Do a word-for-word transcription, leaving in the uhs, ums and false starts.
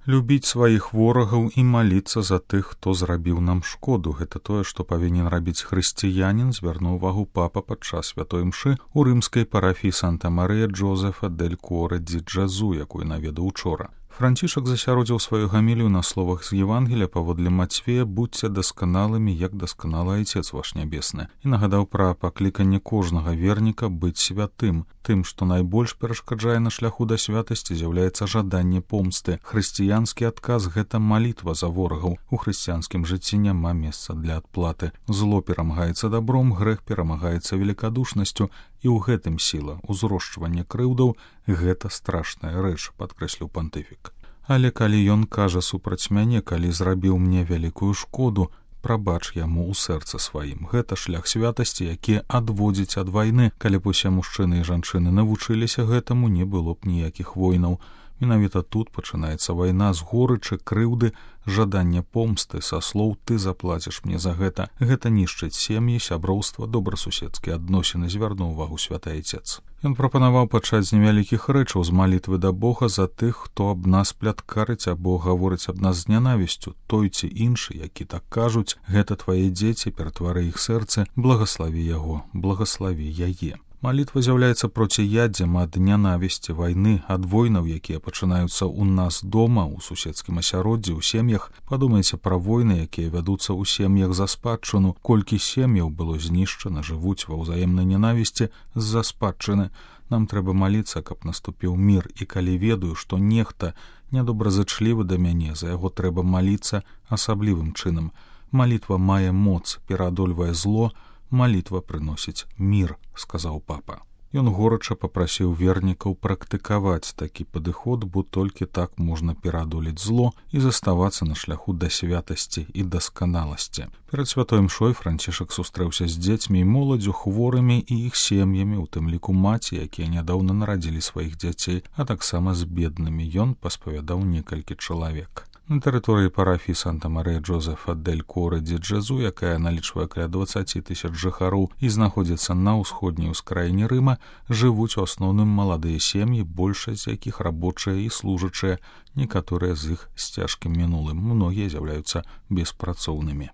Любіць сваіх ворагаў і маліцца за тых, хто зрабіў нам шкоду. Гэта тое, што павінен рабіць хрысціянін, звярнуў увагу папа падчас святой мшы ў рымскай парафіі Санта-Марыя Джозефа дель Коре ди Джезу, якую наведаў учора. Францішак засяродзіў сваю гамілію на словах з Евангелія паводле Мацвея «Будьце дасканалымі, як дасканалы Айцец ваш нябесны» і нагадаў пра пакліканне кожнага верніка быць святым. Тым, што найбольш перашкаджае на шляху да святасці, з'яўляецца жаданне помсты. Хрысціянскі адказ — гэта малітва за ворагаў. У хрысціянскім жыцці няма месца для адплаты. Зло перамагаецца дабром, грэх перамагаецца велікадушнасцю, і ў гэтым сіла. Узрошчванне крыўдаў — гэта страшная рэч, падкрэсліў пантыфік. Але калі ён кажа супраць мяне, калі зрабіў мне вялікую шкоду, прабач яму ў сэрцы сваім. Гэта шлях святасці, які адводзіць ад вайны. Калі б усе мужчыны і жанчыны навучыліся гэтаму, не было б ніякіх войнаў. Менавіта тут пачынаецца вайна з горычы, крыўды, жадання помсты, са слоў «ты заплаціш мне за гэта». Гэта нішчыць сем'і, сяброўства, добрасуседскія адносіны, звярнуў увагу святы Айцец. Ён прапанаваў пачаць з невялікіх рэчаў, з малітвы да Бога за тых, хто аб нас пляткарыць або гаворыць аб нас з нянавісцю. Той ці іншы, які так кажуць, гэта твае дзеці, ператвары іх сэрцы, благаславі яго, благаславі яе. Малітва з'яўляецца проціяддзем ад нянавісці, вайны, ад войнаў, якія пачынаюцца ў нас дома, у суседскім асяроддзі, у сем'ях. Падумайце пра войны, якія вядуцца ў сем'ях за спадчыну. Колькі сем'яў было знішчана, жывуць ва ўзаемнай нянавісці з-за спадчыны. Нам трэба маліцца, каб наступіў мір, і калі ведаю, што нехта нядобразычлівы да мяне, за яго трэба маліцца асаблівым чынам. Малітва мае моц, пераадольвае зло, малітва прыносіць мір, сказаў папа. Ён горача папрасіў вернікаў практыкаваць такі падыход, бо толькі так можна пераадолець зло і заставацца на шляху да святасці і дасканаласці. Перад святой мшой Францішак сустрэўся з дзецьмі і моладзю, хворымі і іх сем'ямі, у тым ліку маці, якія нядаўна нарадзілі сваіх дзяцей, а таксама з беднымі. Ён паспавядаў некалькі чалавек. На тэрыторыі парафіі Санта-Марыя Джозефа дель Коре ди Джезу, якая налічвае каля дваццаць тысяч жыхароў і знаходзіцца на ўсходняй ускраіне Рыма, жывуць у асноўным маладыя сем'і, большасць з якіх рабочыя і служачыя, некаторыя з іх з цяжкім мінулым, многія з'яўляюцца беспрацоўнымі.